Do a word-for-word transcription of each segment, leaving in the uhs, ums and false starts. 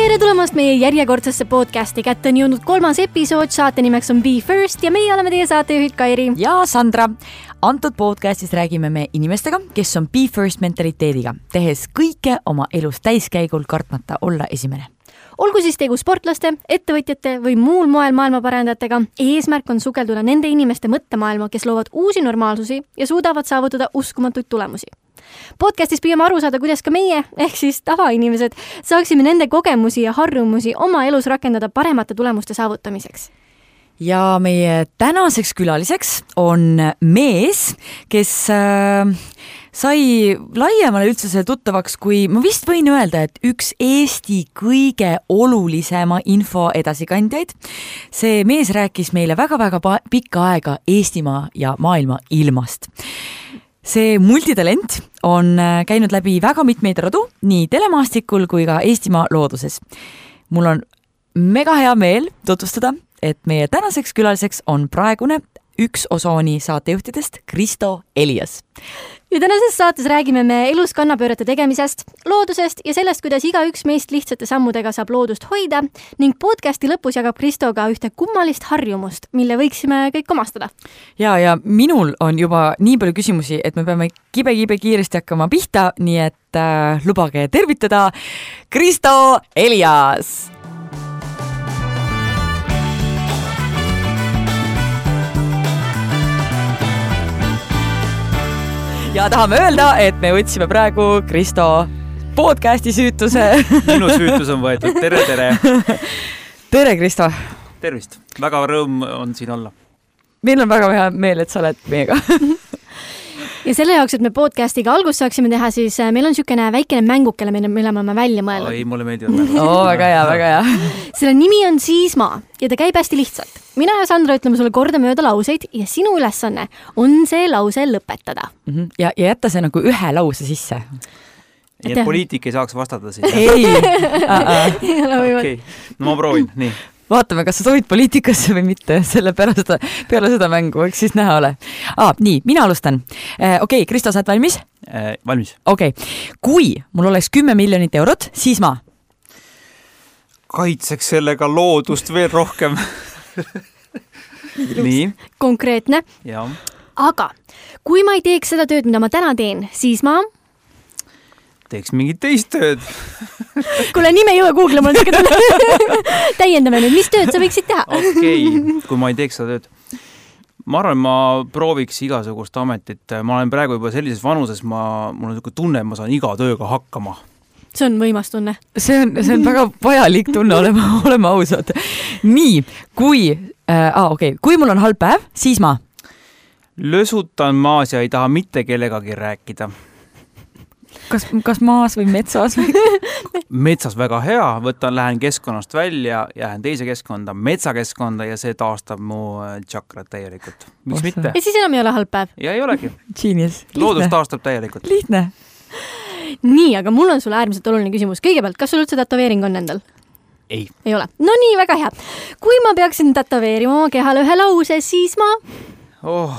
Tere tulemast meie järjekordsesse podcasti. Kätte on jõudnud kolmas episood, saate nimeks on Be First ja meie oleme teie saatejuhid Kairi ja Sandra. Antud podcastis räägime me inimestega, kes on Be First mentaliteediga, tehes kõike oma elus täiskäigul kartmata olla esimene. Olgu siis tegu sportlaste, ettevõtjate või muul moel maailmaparandajatega, eesmärk on sukelduda nende inimeste mõttemaailma, kes loovad uusi normaalsusi ja suudavad saavutada uskumatuid tulemusi. Podcastis püüame aru saada, kuidas ka meie, ehk siis tavainimesed, saaksime nende kogemusi ja harjumusi oma elus rakendada paremate tulemuste saavutamiseks. Ja meie tänaseks külaliseks on mees, kes äh, sai laiemale üldsuse tuttavaks, kui ma vist võin öelda, et üks Eesti kõige olulisema info edasikandjaid. See mees rääkis meile väga-väga pikka aega Eestimaa ja maailma ilmast. See multitalent on käinud läbi väga mitmeid radu, nii telemaastikul kui ka Eestimaa looduses. Mul on mega hea meel tutvustada, et meie tänaseks külaliseks on praegune üks Osooni saatejuhtidest, Kristo Elias. Ja tänases saates räägime me elus kannapöörete tegemisest, loodusest ja sellest, kuidas iga üks meist lihtsate sammudega saab loodust hoida ning podcasti lõpus jagab Kristo ka ühte kummalist harjumust, mille võiksime kõik omastada. Ja, ja minul on juba nii palju küsimusi, et me peame kibe-kibe kiiresti hakkama pihta, nii et äh, lubage tervitada Kristo Elias! Ja tahame öelda, et me võtsime praegu Kristo podcasti süütuse. Minu süütus on võetud. Tere, tere. Tere, Kristo. Tervist. Väga rõõm on siin olla. Meil on väga hea meel, et sa oled meiega. Ja selle jaoks, et me podcastiga algust saaksime teha, siis meil on niisugune väikene mängukele, mille me oleme välja mõelnud. Ei, mulle meeldivad mängud. Oo, väga hea, väga hea. Selle nimi on Siismaa ja ta käib hästi lihtsalt. Mina ja Sandra ütleme sulle korda mööda lauseid ja sinu ülesanne on see lause lõpetada. Mm-hmm. Ja, ja jätta see nagu ühe lause sisse. Nii et poliitik ei saaks vastata siin. Ei. Ei ole võimalik. Okay. No ma proovin, nii. Vaatame, kas sa soovid poliitikasse või mitte, selle peale seda, peale seda mängu, eks siis näha ole. Ah, nii, mina alustan. Okei, okay, Kristo, sa oled valmis? Äh, valmis. Okei, okay. Kui mul oleks kümme miljonit eurot, siis ma? Kaitseks sellega loodust veel rohkem. Nii. Konkreetne. Ja. Aga kui ma ei teeks seda tööd, mida ma täna teen, siis ma... Teeks mingit teist tööd. Kuule, nime ei jõua Google, ma olen täiendame nüüd. Mis tööd sa võiksid teha? Okei, okay. Kui ma ei teeks seda tööd. Ma arvan, ma prooviks igasugust ametit. Ma olen praegu juba sellises vanuses, ma, mul on niisugune tunne, et ma saan iga tööga hakkama. See on võimas tunne. See on, see on väga vajalik tunne, olema, olema ausad. Nii, kui, äh, ah, okay. kui mul on halb päev, siis ma? Lösutan maas ja ei taha mitte kellegagi rääkida. Kas, kas maas või metsas? Metsas väga hea, võtan, lähen keskkonnast välja, jään teise keskkonda, metsakeskkonda ja see taastab mu tšakrat täielikult. Miks Ossa. Mitte? Ja siis enam ei ole halb päev? Ja ei olegi. Genius. Loodus taastab täielikult. Lihtne. Nii, aga mul on sulle äärmiselt oluline küsimus. Kõigepealt, kas sul üldse tätoveering on endal? Ei. Ei ole. No nii, väga hea. Kui ma peaksin tätoveerima oma kehale ühe lause, siis ma... Oh...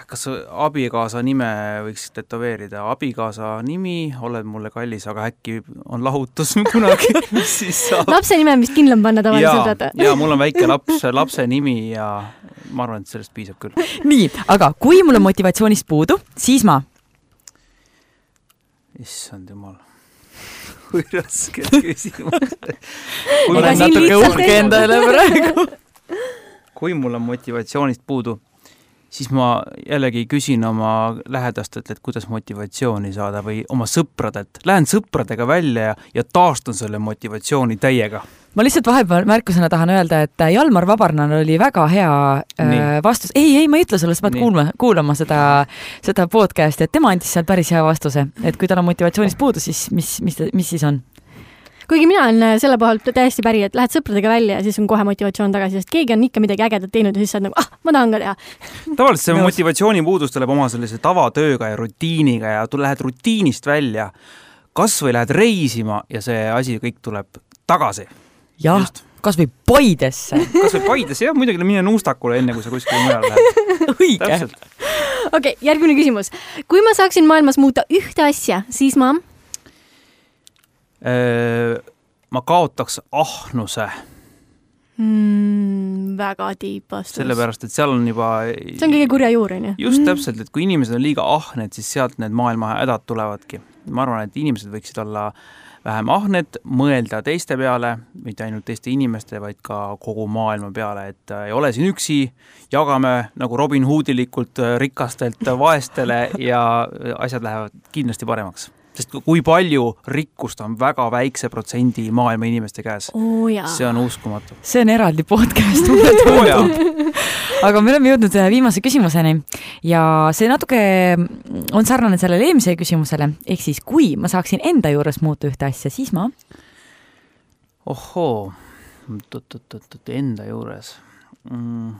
Kas abikaasa nime võiks tätoveerida? Abikaasa nimi, oled mulle kallis, aga äkki on lahutus kunagi. Siis saab... Lapse nime vist kindlam panna tavaliselt. Ja, ja mul on väike laps, lapse nimi ja ma arvan, et sellest piisab küll. Nii, aga kui mul on motivatsioonist puudu, siis ma? Issand jumal. Kui raske küsimus. Kui olen natuke uhke endale praegu. Kui mul on motivatsioonist puudu, siis ma jällegi küsin oma lähedastelt, et kuidas motivatsiooni saada või oma sõpradelt. Lähen sõpradega välja ja, ja taastan selle motivatsiooni täiega. Ma lihtsalt vahepeal märkusena tahan öelda, et Jalmar Vabarnan oli väga hea Nii. vastus. Ei, ei, ma ei ütle sulle, sa pead kuulma, kuulama seda, seda podcasti, et tema andis seal päris hea vastuse. Et kui tal on motivatsioonist puudu, siis mis, mis, mis siis on? Kuigi mina olen selle poolt täiesti päri, et lähed sõpradega välja ja siis on kohe motivatsioon tagasi, sest keegi on ikka midagi ägedat teinud ja siis saad nagu, ah, ma tahan ka teha. Tavaliselt see motivatsiooni puudus tuleb oma sellise tavatööga ja rutiiniga ja tu lähed rutiinist välja, kas või lähed reisima ja see asi kõik tuleb tagasi. Jah, Just. Kas või Paidesse. Kas või Paidesse, jah, muidugi mine Nuustakule enne, kui sa kuskil mujal lähed. Õige. Okei, okay, järgmine küsimus. Kui ma saaksin maailmas muuta ühte asja, siis ma... ma kaotaks ahnuse. Mm, väga tiip vastus. Sellepärast, et seal on juba... See on kõige kurja juur, on ju? Just täpselt, et kui inimesed on liiga ahned, siis sealt need maailma hädad tulevadki. Ma arvan, et inimesed võiksid olla vähem ahned, mõelda teiste peale, mitte ainult teiste inimeste, vaid ka kogu maailma peale, et ei ole siin üksi, jagame nagu Robin Hoodilikult rikastelt vaestele ja asjad lähevad kindlasti paremaks. Sest kui palju rikkust on väga väikse protsendi maailma inimeste käes. Oh, see on uskumatu. See on eraldi podcast, mulle tundub. Aga me oleme jõudnud viimase küsimuseni ja see natuke on sarnane sellele eelmise küsimusele. Ehk siis, kui ma saaksin enda juures muuta ühte asja, siis ma... Ohoo, enda juures... Mm.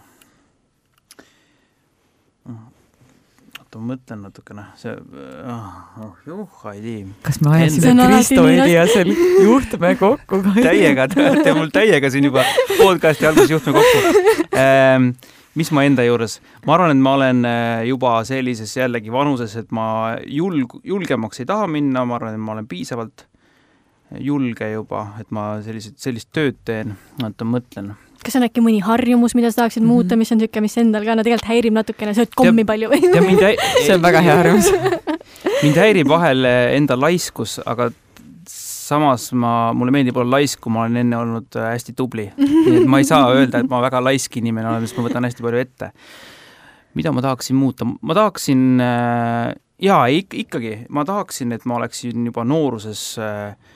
ma mõtlen natukene, see, oh, juh, ei tii. Kas me ajasime Kristo Eliasel juhtme kokku? Täiega, te mul täiega siin juba podcasti alguses juhtme kokku. Ähm, mis ma enda juures? Ma arvan, et ma olen juba sellises jällegi vanuses, et ma julg, julgemaks ei taha minna, ma arvan, et ma olen piisavalt julge juba, et ma sellised, sellist tööd teen, et ma mõtlen. Kas on äkki mõni harjumus, mida sa tahaksid mm-hmm. muuta, mis on tükke, mis endal ka no tegelikult häirib natukene, sööd kommi ja, palju või? Häi... see on väga hea harjumus. Mind häirib vahel enda laiskus, aga samas ma, mulle meeldib olla laisku, ma olen enne olnud hästi tubli. Nii et ma ei saa öelda, et ma väga laisk inimene olen, sest ma võtan hästi palju ette. Mida ma tahaksin muuta? Ma tahaksin, jaa, ik- ikkagi, ma tahaksin, et ma oleksin juba nooruses äh,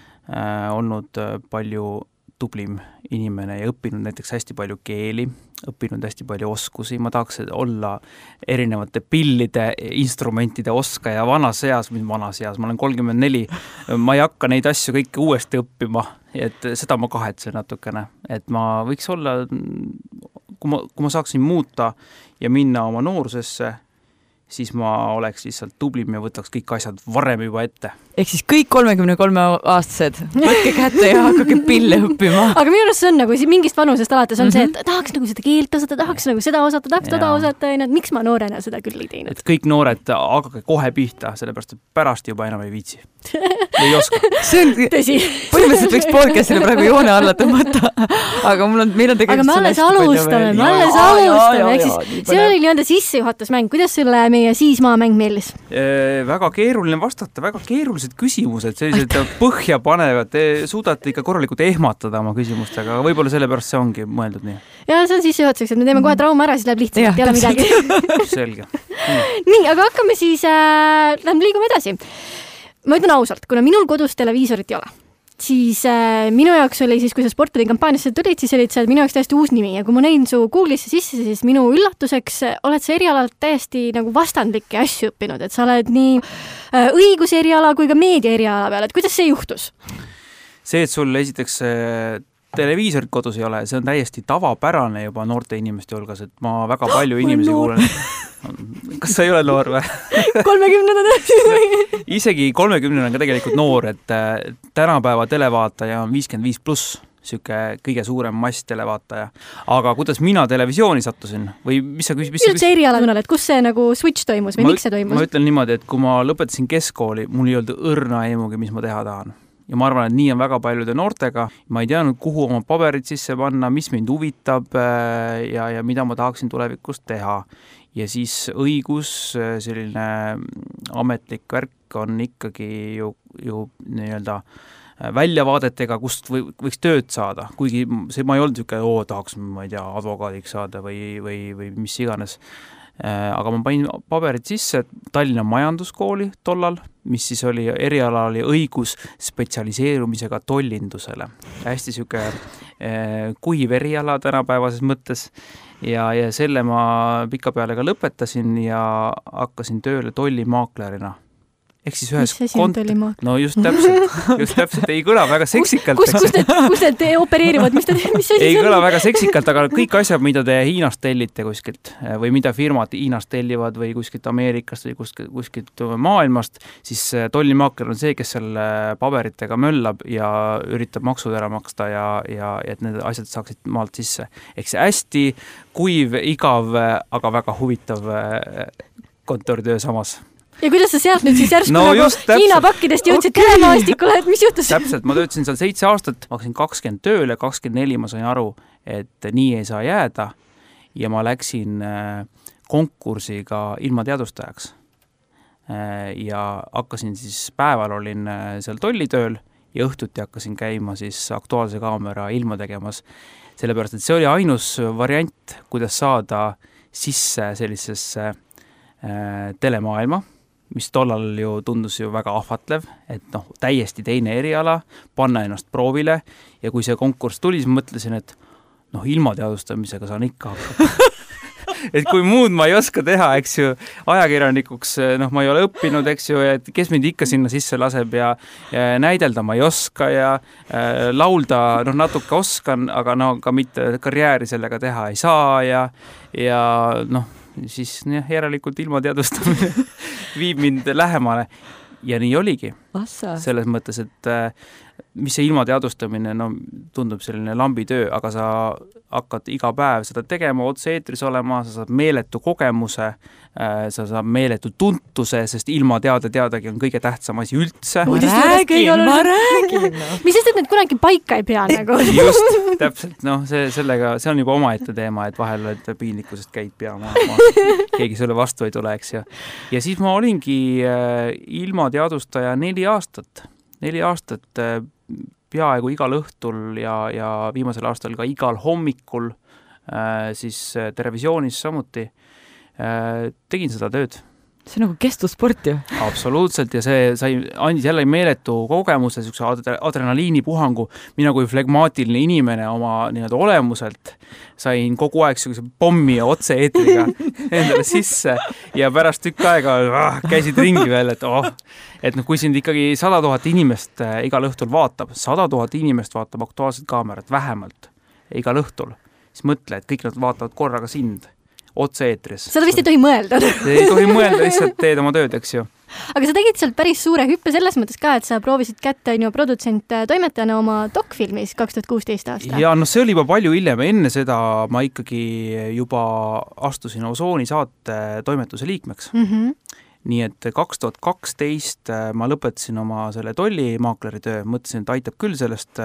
olnud palju tublim inimene ja õppinud näiteks hästi palju keeli, õppinud hästi palju oskusi, ma tahaks olla erinevate pillide, instrumentide oskaja vanas eas, mis vanas eas, ma olen kolmkümmend neli, ma ei hakka neid asju kõike uuesti õppima, et seda ma kahetsen natukene, et ma võiks olla, kui ma, kui ma saaksin muuta ja minna oma noorusesse, siis ma oleks lihtsalt tublim ja võtaks kõik asjad varem juba ette. Ehk siis kõik kolmekümne kolme aastased, võtke kätte ja hakkake pille õppima. Aga minu arust see on nagu mingist vanusest alates on mm-hmm. see, et tahaks nagu seda keelt osata, tahaks nagu seda osata, tahaks toda osata, et miks ma noorena seda küll ei teinud. Et kõik noored hakake kohe pihta, sellepärast et pärast juba enam ei viitsi. Ei oska. See on tõsi. Põhimõtteliselt võiks podcastile praegu joone alla tõmmata, aga mul on, meil on tegelikult... Aga me alles alustame, me alles alustame. See oli nii-öelda sissejuhatusmäng. Kuidas sulle meie siismaamäng meeldis? E, väga keeruline vastata, väga keerulised küsimused, sellised põhja panevad, te suudate ikka korralikult ehmatada oma küsimustega, aga võib-olla sellepärast see ongi mõeldud nii. Ja see on sissejuhatuseks, et me teeme kohe trauma ära, siis läheb lihtsalt, ei ole midagi. Selge. Nii, aga hakkame siis, äh, lähme liigume edasi. Ma ütlen ausalt, kuna minul kodus televiisorit ei ole, siis äh, minu jaoks oli siis, kui sa sportpalli kampaaniasse tulid, siis olid see minu jaoks täiesti uus nimi ja kui ma näin su Google'isse sisse, siis minu üllatuseks oled sa erialalt täiesti nagu vastandlikke asju õppinud, et sa oled nii äh, õiguse eriala kui ka meedia eriala peal, et kuidas see juhtus? See, et sul esiteks äh, televiisorit kodus ei ole, see on täiesti tavapärane juba noorte inimeste hulgas, et ma väga palju inimesi kuulen. Kas sa ei ole noor või? kolmekümnendad Isegi kolmekümnendad on ka tegelikult noor, et tänapäeva televaataja on viiskümmend viis pluss, siuke kõige suurem mass televaataja. Aga kuidas mina televisiooni sattusin? Või mis sa küsis? Mis sa küsis? Erialakonnal, et kus see nagu switch toimus või ma, miks see toimus? Ma ütlen niimoodi, et kui ma lõpetasin keskkooli, mul ei olnud õrna aimugi, mis ma teha tahan. Ja ma arvan, et nii on väga paljude noortega. Ma ei teadnud, kuhu oma paberid sisse panna, mis mind huvitab ja, ja mida ma tahaksin tulevikus teha. Ja siis õigus, selline ametlik värk on ikkagi ju, ju nii-öelda väljavaadetega, kust või, võiks tööd saada. Kuigi see, ma ei olnud niisugune, oo, tahaks, ma ei tea, advokaadiks saada või, või, või mis iganes. Aga ma panin paberid sisse Tallinna majanduskooli tollal, mis siis oli eriala oli õigus spetsialiseerumisega tollindusele. Hästi siuke eh, kuiv eriala tänapäevases mõttes ja, ja selle ma pika peale ka lõpetasin ja hakkasin tööle tollimaaklerina. Ehk siis ühes mis asi on tollimaakler? No just täpselt, just täpselt, ei kõla väga seksikalt. Kus, kus, need, kus need opereerivad, mis, te, mis asi ei see on? Kõla väga seksikalt, aga kõik asjad, mida te Hiinast tellite kuskilt või mida firmad Hiinast tellivad või kuskilt Ameerikast või kuskilt, kuskilt maailmast, siis tollimaakler on see, kes selle paberitega möllab ja üritab maksud ära maksta ja, ja et need asjad saaksid maalt sisse. Ehk see hästi kuiv, igav, aga väga huvitav kontoritöö samas. ja kuidas sa sealt nüüd siis järsku No nagu just, täpselt. Hiina pakkidest jõudsid Okei. telemaastikule, et mis juhtus? Täpselt, ma töötasin seal seitse aastat, ma hakkasin kakskümmend tööle, kakskümmend neli ma sain aru, et nii ei saa jääda ja ma läksin konkursiga ilma teadustajaks. Ja hakkasin siis, päeval olin seal tollitööl ja õhtuti hakkasin käima siis Aktuaalse Kaamera ilma tegemas, sellepärast, et see oli ainus variant, kuidas saada sisse sellisesse äh, telemaailma, mis tollal ju tundus ju väga ahvatlev, et noh, täiesti teine eriala, panna ennast proovile ja kui see konkurss tuli, siis mõtlesin, et noh, ilma teadustamisega saan ikka hakkama. Et kui muud ma ei oska teha, eks ju, ajakirjanikuks, noh, ma ei ole õppinud, eks ju, et kes mind ikka sinna sisse laseb ja, ja näidelda ma ei oska ja äh, laulda, noh, natuke oskan, aga no ka mitte karjääri sellega teha ei saa ja, ja noh, siis jah, järelikult ilma teadustamine viib mind lähemale ja nii oligi. Assa. Selles mõttes, et äh, mis see ilma teadustamine, no tundub selline lambitöö, aga sa hakkad iga päev seda tegema, otse-eetris olema, sa saad meeletu kogemuse, sa saad meeletu tuntuse, sest ilma teada teadagi on kõige tähtsam asi üldse. Ma räägin, ma räägin. Mis sest, et need kunagi paika ei pea nagu? Just, täpselt, noh, see, sellega, see on juba omaette teema, et vahel et piinlikkusest käid pea maha, keegi sulle vastu ei tule, eks ju. Ja siis ma olingi ilma teadustaja neli aastat, neli aastat peaaegu igal õhtul ja, ja viimasel aastal ka igal hommikul äh, siis televisioonis samuti äh, tegin seda tööd. See on nagu kestvussport ju. Absoluutselt ja see sai, andis jälle meeletu kogemuse, niisuguse adrenaliinipuhangu. Mina kui flegmaatiline inimene oma nii-öelda olemuselt sain kogu aeg niisuguse pommi ja otse-eetriga endale sisse ja pärast tükk aega ah, käisid ringi veel, et oh, et noh, kui sind ikkagi sada tuhat inimest igal õhtul vaatab, sada tuhat inimest vaatab Aktuaalset Kaamerat vähemalt igal õhtul, siis mõtle, et kõik nad vaatavad korraga sind otse-eetris. Seda vist ei tohi mõelda. Ei tohi mõelda, lihtsalt teed oma tööd, eks ju. Aga sa tegid sealt päris suure hüppe selles mõttes ka, et sa proovisid kätte on ju produtsent toimetajana oma dokfilmis kaks tuhat kuusteist aasta. Ja no see oli juba palju hiljem, enne seda ma ikkagi juba astusin Osooni saate toimetuse liikmeks. Mm-hmm. Nii et kaks tuhat kaksteist ma lõpetasin oma selle tollimaakleri töö, mõtlesin, et aitab küll sellest,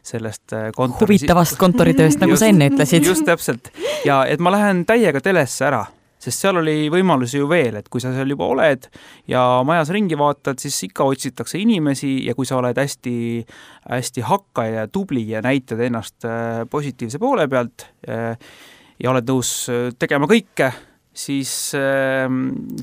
sellest kontori... huvitavast kontoritööst, nagu just, sa enne ütlesid. Just täpselt. Ja et ma lähen täiega telesse ära, sest seal oli võimalusi ju veel, et kui sa seal juba oled ja majas ringi vaatad, siis ikka otsitakse inimesi ja kui sa oled hästi, hästi hakkaja ja tubli ja näitad ennast positiivse poole pealt ja oled nõus tegema kõike, siis äh,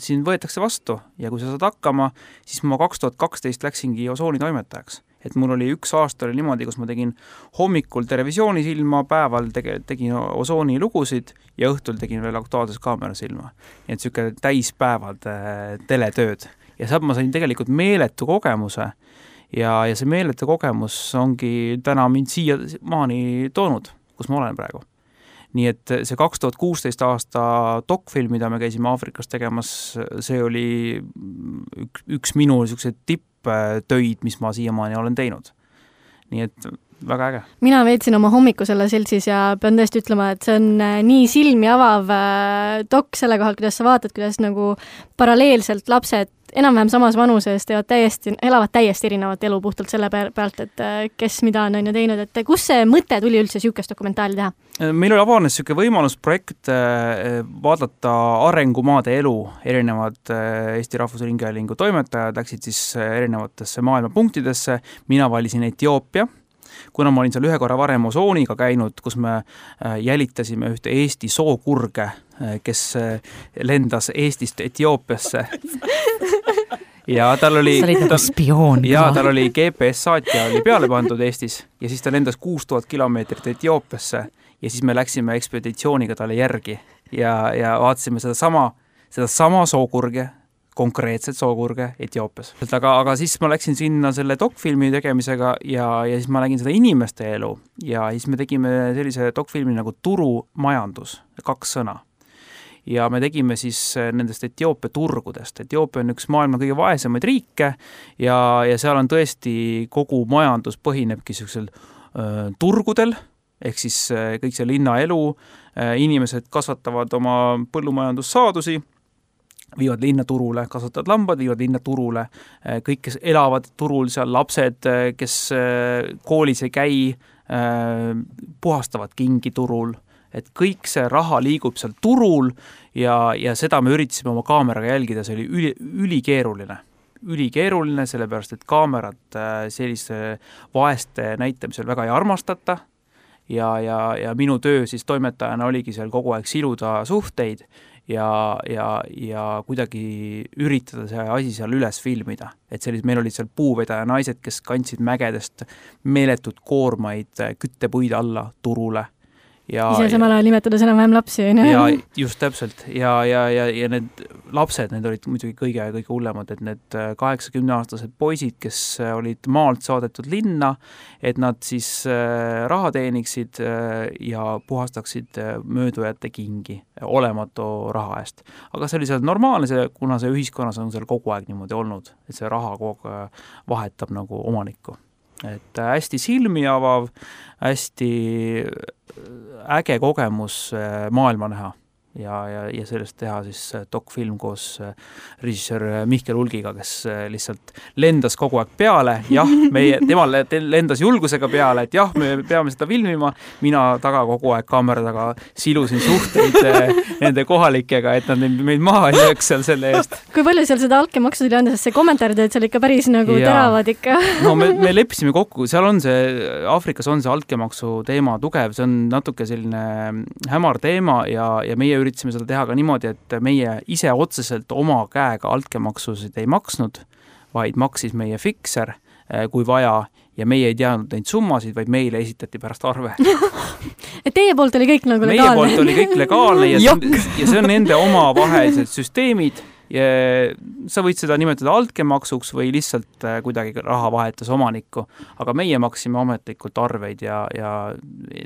siin võetakse vastu ja kui sa saad hakkama, siis ma kaks tuhat kaksteist läksingi Osooni toimetajaks. Et mul oli üks aasta oli niimoodi, kus ma tegin hommikul televisioonis ilma, päeval tege, tegin Osooni lugusid ja õhtul tegin veel Aktuaalses Kaameras ilma. Nii et siuke täispäevad äh, teletööd. Ja sealt ma sain tegelikult meeletu kogemuse ja, ja see meeletu kogemus ongi täna mind siia maani toonud, kus ma olen praegu. Nii et see kaks tuhat kuusteist aasta dokfilm, mida me käisime Aafrikas tegemas, see oli üks, üks minu tipptöid, mis ma siiamaani olen teinud. Nii et väga äge. Mina veetsin oma hommiku selle seltsis ja pean tõesti ütlema, et see on nii silmi avav dok selle kohal, kuidas sa vaatad, kuidas nagu paralleelselt lapsed enam-vähem samas vanuses teevad täiesti, elavad täiesti erinevat elu puhtalt selle pealt, et kes mida on ju teinud, et kus see mõte tuli üldse siukest dokumentaali teha? Meil oli avanes siuke võimalus projekt vaadata arengumaade elu, erinevad Eesti Rahvusringhäälingu toimetajad läksid siis erinevatesse maailma punktidesse, mina valisin Etioopia, kuna ma olin seal ühe korra varem Osooniga käinud, kus me jälitasime ühte Eesti sookurge, kes lendas Eestist Etioopiasse. Ja tal oli, sa olid nagu spioon. Ja tal oli G P S-saatja oli peale pandud Eestis ja siis ta lendas kuus tuhat kilomeetrit Etioopiasse ja siis me läksime ekspeditsiooniga talle järgi ja, ja vaatasime seda sama, seda sama sookurge, konkreetset sookurge Etioopias. Aga, aga siis ma läksin sinna selle dokfilmi tegemisega ja, ja siis ma nägin seda inimeste elu ja siis me tegime sellise dokfilmi nagu turumajandus, kaks sõna. Ja me tegime siis nendest Etioopia turgudest. Etioopia on üks maailma kõige vaesemaid riike ja, ja seal on tõesti kogu majandus põhinebki sellisel äh, turgudel, ehk siis äh, kõik see linnaelu, äh, inimesed kasvatavad oma põllumajandussaadusi, viivad linna turule, kasvatavad lambad, viivad linna turule, kõik, kes elavad turul, seal lapsed, kes koolis ei käi, puhastavad kingi turul, et kõik see raha liigub seal turul ja, ja seda me üritasime oma kaameraga jälgida, see oli üli, ülikeeruline. Ülikeeruline, sellepärast, et kaamerat sellise vaeste näitamisel väga ei armastata ja, ja, ja minu töö siis toimetajana oligi seal kogu aeg siluda suhteid ja, ja, ja kuidagi üritada see asi seal üles filmida. Et sellis, meil olid seal puuvedaja naised, kes kandsid mägedest meeletud koormaid küttepuid alla turule. Ja, ise samal ajal nimetades enam-vähem lapsi. Ja just täpselt. Ja, ja, ja, ja need lapsed, need olid muidugi kõige, kõige hullemad, et need kaheksakümne-aastased poisid, kes olid maalt saadetud linna, et nad siis raha teeniksid ja puhastaksid möödujate kingi olematu raha eest. Aga see oli seal normaalne, see, kuna see ühiskonnas on seal kogu aeg niimoodi olnud, et see raha kogu vahetab nagu omanikku. Et hästi silmi avav, hästi äge kogemus maailma näha ja, ja, ja sellest teha siis dokfilm koos režissöör Mihkel Ulgiga, kes lihtsalt lendas kogu aeg peale, jah, meie, tema lendas julgusega peale, et jah, me peame seda filmima, mina taga kogu aeg kaamera taga silusin suhteid nende kohalikega, et nad meid maha ei lööks seal selle eest. Kui palju seal seda altkäemaksu tuli anda, sest see kommentaarid, et seal ikka päris nagu ja. teravad ikka? No me, me leppisime kokku, seal on see, Aafrikas on see altkäemaksu teema tugev, see on natuke selline hämar teema ja, ja meie üritasime seda teha ka niimoodi, et meie ise otseselt oma käega altkäemaksusid ei maksnud, vaid maksis meie fikser, kui vaja, ja meie ei teadnud neid summasid, vaid meile esitati pärast arve. Et teie poolt oli kõik nagu legaalne? Meie poolt oli kõik legaalne ja, ja see on nende oma vahelised süsteemid. Ja sa võid seda nimetada altkäemaksuks või lihtsalt kuidagi raha vahetas omanikku, aga meie maksime ametlikult arveid ja, ja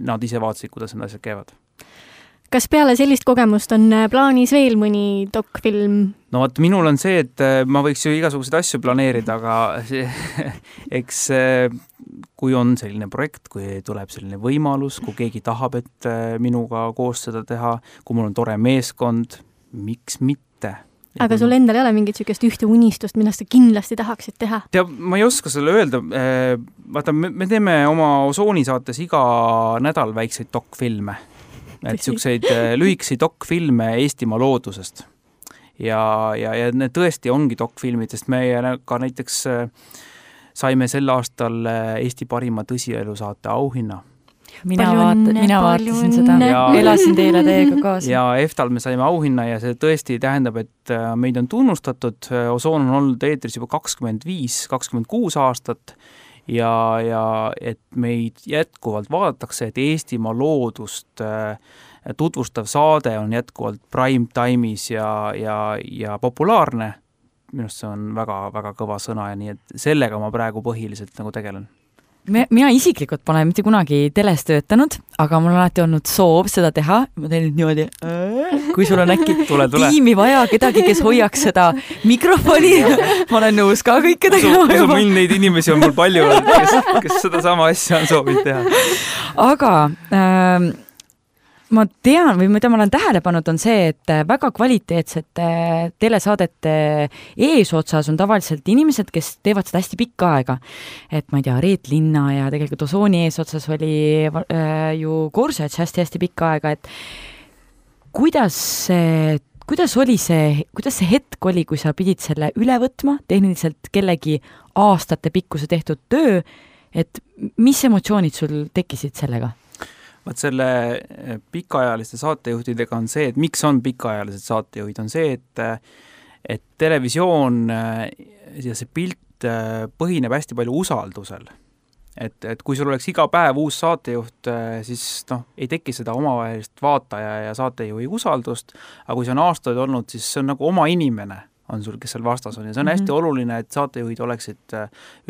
nad ise vaatasid, kuidas need asjad käivad. Kas peale sellist kogemust on plaanis veel mõni dokfilm? No vaat minul on see, et ma võiks ju igasuguseid asju planeerida, aga see, eks kui on selline projekt, kui tuleb selline võimalus, kui keegi tahab, et minuga koos seda teha, kui mul on tore meeskond, miks mitte? Aga sul endal ei ole mingit sükest ühte unistust, millest sa kindlasti tahaksid teha? Teab, ma ei oska selle öelda. Vaata, me, me teeme oma Osoonisaates iga nädal väikseid dokfilme. Et siukseid lühikesi dokfilme Eestimaa loodusest. Ja, ja, ja need tõesti ongi dokfilmidest. Me ka näiteks saime sel aastal Eesti parima tõsielusaate auhinna. Mina, vaata, mina vaatasin seda, ja, elasin teile teiega kaasa. Ja EFTAL me saime auhinna ja see tõesti tähendab, et meid on tunnustatud. Osoon on olnud eetris juba kakskümmend viis kakskümmend kuus aastat ja, ja et meid jätkuvalt vaadatakse, et Eestimaa loodust tutvustav saade on jätkuvalt prime time'is ja, ja, ja populaarne. Minust see on väga, väga kõva sõna ja nii, et sellega ma praegu põhiliselt nagu tegelen. Mina isiklikult pole mitte kunagi teles töötanud, aga mul on alati olnud soov seda teha. Ma teen nüüd niimoodi, kui sul on äkki tule, tule. tiimi vaja, kedagi, kes hoiaks seda mikrofoni. Ma olen nõus ka kõike tegema. Usu mind, neid inimesi on mul palju, kes, kes seda sama asja on soovinud teha. Aga ähm, ma tean või mida ma olen tähele pannud on see, et väga kvaliteetsete telesaadete eesotsas on tavaliselt inimesed, kes teevad seda hästi pikka aega. Et ma ei tea, Reet Linna ja tegelikult Osooni eesotsas oli äh, ju Korsets hästi-hästi pikka aega, et kuidas, kuidas oli see, kuidas see hetk oli, kui sa pidid selle üle võtma, tehniliselt kellegi aastate pikkuse tehtud töö, et mis emotsioonid sul tekkisid sellega? Vaat selle pikaajaliste saatejuhtidega on see, et miks on pikaajalised saatejuhid, on see, et, et televisioon ja see pilt põhineb hästi palju usaldusel. Et, et kui sul oleks iga päev uus saatejuht, siis noh, ei teki seda omavahelist vaataja ja saatejuhi usaldust, aga kui see on aastaid olnud, siis see on nagu oma inimene on sul, kes seal vastas on ja see on hästi mm-hmm. oluline, et saatejuhid oleksid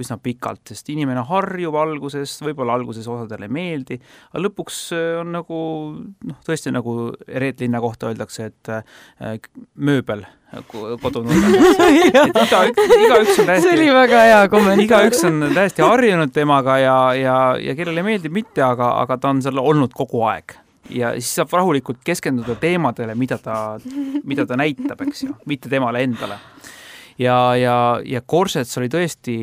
üsna pikalt, sest inimene harjub alguses, võib-olla alguses osadele meeldi, aga lõpuks on nagu, noh, tõesti nagu Reet Linna kohta öeldakse, et mööbel kodunurgas. iga, iga üks on täiesti, see oli väga hea kommentaar. Iga üks on täiesti harjunud temaga ja, ja, ja kellele meeldib mitte, aga, aga ta on seal olnud kogu aeg. ja siis saab rahulikult keskenduda teemadele, mida ta, mida ta näitab, eks ju, mitte temale endale. Ja, ja, ja Korsets oli tõesti,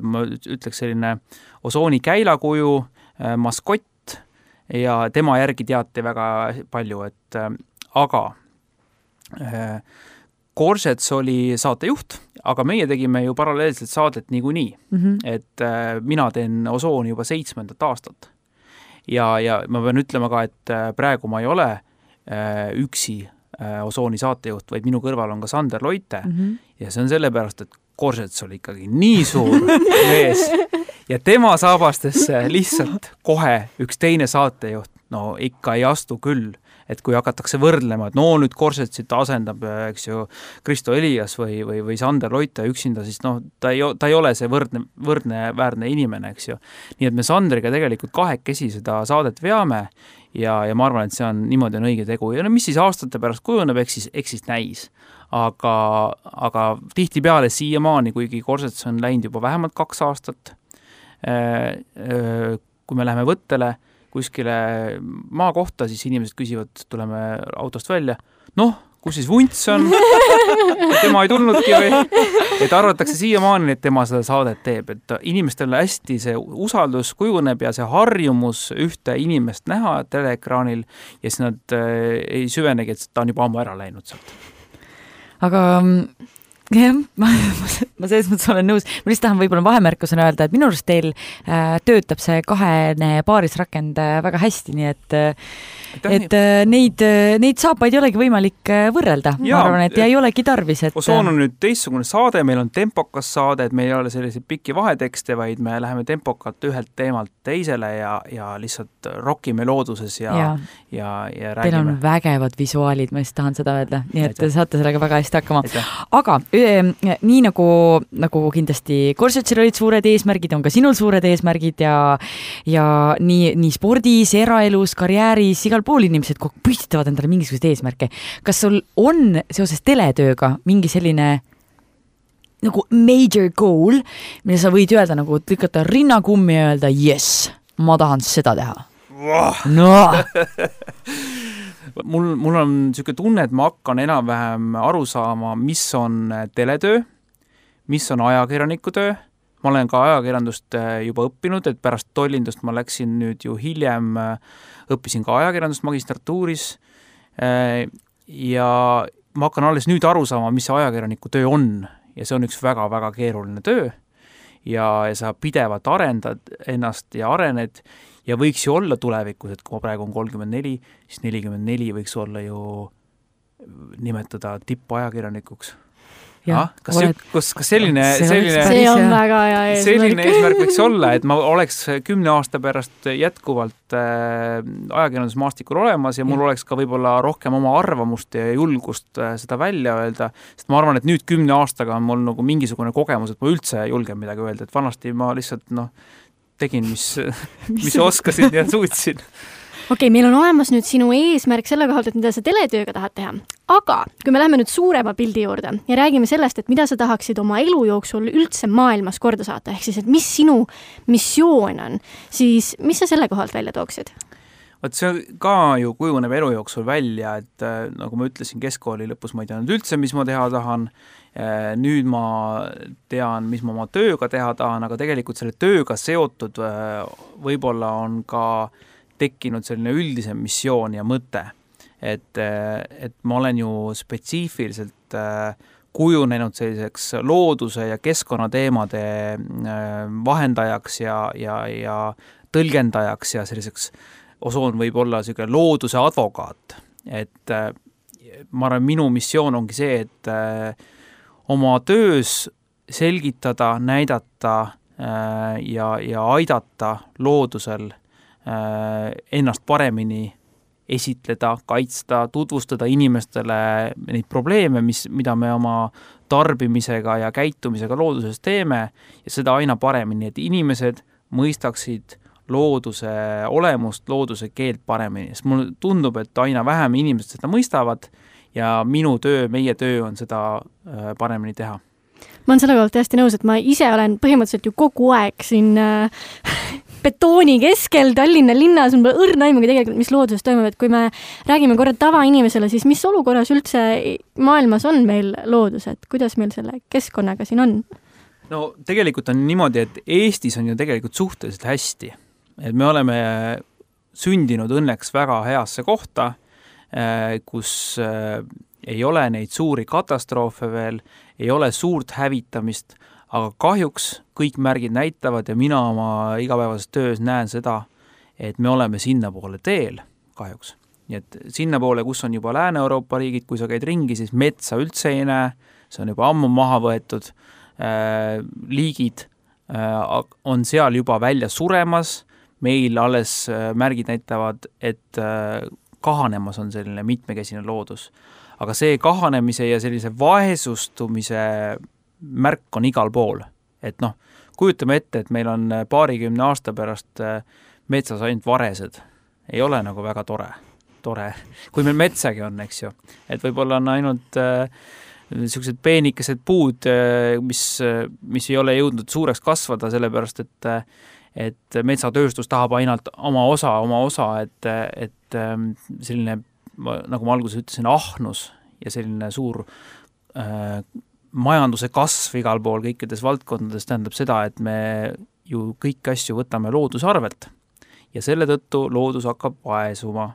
ma ütleks selline osooni käilakuju, maskott ja tema järgi teati väga palju, et aga Korsets oli saatejuht, aga meie tegime ju paralleelselt saadet niikuinii, mm-hmm. et mina teen osooni juba seitsmendat aastat. Ja, ja ma pean ütlema ka, et praegu ma ei ole üksi osooni saatejuht, vaid minu kõrval on ka Sander Loite mm-hmm. ja see on sellepärast, et Korsets oli ikkagi nii suur mees ja tema saabastesse lihtsalt kohe üks teine saatejuht, no ikka ei astu küll, et kui hakatakse võrdlema, et no nüüd Korsetsit asendab, eks ju, Kristo Elias või, või, või Sander Loite üksinda, siis noh, ta ei, ta ei ole see võrdne, võrdne väärne inimene, eks ju. Nii et me Sandriga tegelikult kahekesi seda saadet veame ja, ja ma arvan, et see on niimoodi on õige tegu. Ja no mis siis aastate pärast kujuneb, eks siis, eks siis näis. Aga, aga tihti peale siiamaani, kuigi Korsets on läinud juba vähemalt kaks aastat, kui me läheme võttele, kuskile maa kohta, siis inimesed küsivad, tuleme autost välja, noh, kus siis Vunts on? Tema ei tulnudki või? Et arvatakse siiamaani, et tema seda saadet teeb, et inimestel hästi see usaldus kujuneb ja see harjumus ühte inimest näha teleekraanil ja siis nad ei süvenegi, et ta on juba ammu ära läinud sealt. Aga jah, ma, ma selles mõttes olen nõus. Ma lihtsalt tahan võib-olla vahemärkusena öelda, et minu arust teil äh, töötab see kahene paarisrakend äh, väga hästi, nii et, et äh, neid, neid saapaid ei olegi võimalik äh, võrrelda. Ja, ma arvan, et ei olegi tarvis. Et, Osoon on nüüd teistsugune saade, meil on tempokas saade, et meil ei ole selliseid pikki vahetekste, vaid me läheme tempokalt ühelt teemalt teisele ja, ja lihtsalt rokime looduses ja, ja. ja, ja räägime. Teil on vägevad visuaalid, ma just tahan seda öelda, nii et Aitäh. Saate sellega väga hästi hakkama. Aitäh. Aga nii nagu, nagu kindlasti Korsetsil olid suured eesmärgid, on ka sinul suured eesmärgid ja, ja nii, nii spordis, eraelus, karjääris, igal pool inimesed püstitavad endale mingisuguseid eesmärke. Kas sul on seoses teletööga mingi selline nagu major goal, mille sa võid öelda nagu lükata rinnakummi ja öelda yes, ma tahan seda teha? No! Mul, mul on niisugune tunne, et ma hakkan enam-vähem aru saama, mis on teletöö, mis on ajakirjaniku töö. Ma olen ka ajakirjandust juba õppinud, et pärast tollindust ma läksin nüüd ju hiljem, õppisin ka ajakirjandust magistratuuris ja ma hakkan alles nüüd aru saama, mis see ajakirjaniku töö on ja see on üks väga-väga keeruline töö ja, ja sa pidevalt arendad ennast ja arened ja võiks ju olla tulevikus, et kui ma praegu on kolmkümmend neli, siis nelikümmend neli võiks olla ju nimetada tippajakirjanikuks. Ah, kas, oled... kas, kas selline, selline, see on väga hea eesmärk. Selline eesmärk võiks olla, et ma oleks kümne aasta pärast jätkuvalt äh, ajakirjandusmaastikul olemas ja mul ja. oleks ka võib-olla rohkem oma arvamust ja julgust äh, seda välja öelda, sest ma arvan, et nüüd kümne aastaga on mul nagu mingisugune kogemus, et ma üldse julgen midagi öelda, et vanasti ma lihtsalt noh, tegin, mis, mis oskasin ja suutsin. Okei, okay, meil on olemas nüüd sinu eesmärk selle kohalt, et mida sa teletööga tahad teha. Aga kui me läheme nüüd suurema pildi juurde ja räägime sellest, et mida sa tahaksid oma elu jooksul üldse maailmas korda saata, ehk siis, et mis sinu missioon on, siis mis sa selle kohalt välja tooksid? Vaat see ka ju kujuneb elu jooksul välja, et nagu ma ütlesin, keskkooli lõpus ma ei teanud üldse, mis ma teha tahan. Nüüd ma tean, mis ma oma tööga teha tahan, aga tegelikult selle tööga seotud võib-olla on ka tekkinud selline üldisem missioon ja mõte. Et, et ma olen ju spetsiifiliselt kujunenud selliseks looduse ja keskkonnateemade vahendajaks ja, ja, ja tõlgendajaks ja selliseks Osoon võib olla selline looduse advokaat. Et ma arvan, minu missioon ongi see, et oma töös selgitada, näidata ja, ja aidata loodusel ennast paremini esitleda, kaitsta, tutvustada inimestele neid probleeme, mis, mida me oma tarbimisega ja käitumisega looduses teeme ja seda aina paremini, et inimesed mõistaksid looduse olemust, looduse keelt paremini. Sest mulle tundub, et aina vähem inimesed seda mõistavad ja minu töö, meie töö on seda paremini teha. Ma olen selle kohalt täiesti nõus, et ma ise olen põhimõtteliselt ju kogu aeg siin äh, betooni keskel Tallinna linnas, on õrna aimugi tegelikult, mis looduses toimub, et kui me räägime korra tavainimesele, siis mis olukorras üldse maailmas on meil loodus, et kuidas meil selle keskkonnaga siin on? No tegelikult on niimoodi, et Eestis on ju tegelikult suhteliselt hästi. Et me oleme sündinud õnneks väga heasse kohta, kus ei ole neid suuri katastroofe veel, ei ole suurt hävitamist, aga kahjuks kõik märgid näitavad ja mina oma igapäevases töös näen seda, et me oleme sinna poole teel kahjuks. Nii et sinna poole, kus on juba Lääne-Euroopa riigid, kui sa käid ringi, siis metsa üldse ei näe, see on juba ammu maha võetud, äh, liigid äh, on seal juba välja suremas, meil alles äh, märgid näitavad, et äh, kahanemas on selline mitmekesine loodus. Aga see kahanemise ja sellise vaesustumise märk on igal pool. Et noh, kujutame ette, et meil on paarikümne aasta pärast metsas ainult varesed. Ei ole nagu väga tore. tore. Kui meil metsagi on, eks ju. Et võib-olla on ainult äh, sellised peenikesed puud, äh, mis, mis ei ole jõudnud suureks kasvada, sellepärast, et, et metsatööstus tahab ainult oma osa, oma osa, et, et äh, selline, nagu ma alguses ütlesin, ahnus ja selline suur äh, majanduse kasv igal pool kõikides valdkondades tähendab seda, et me ju kõik asju võtame looduse arvelt ja selle tõttu loodus hakkab vaesuma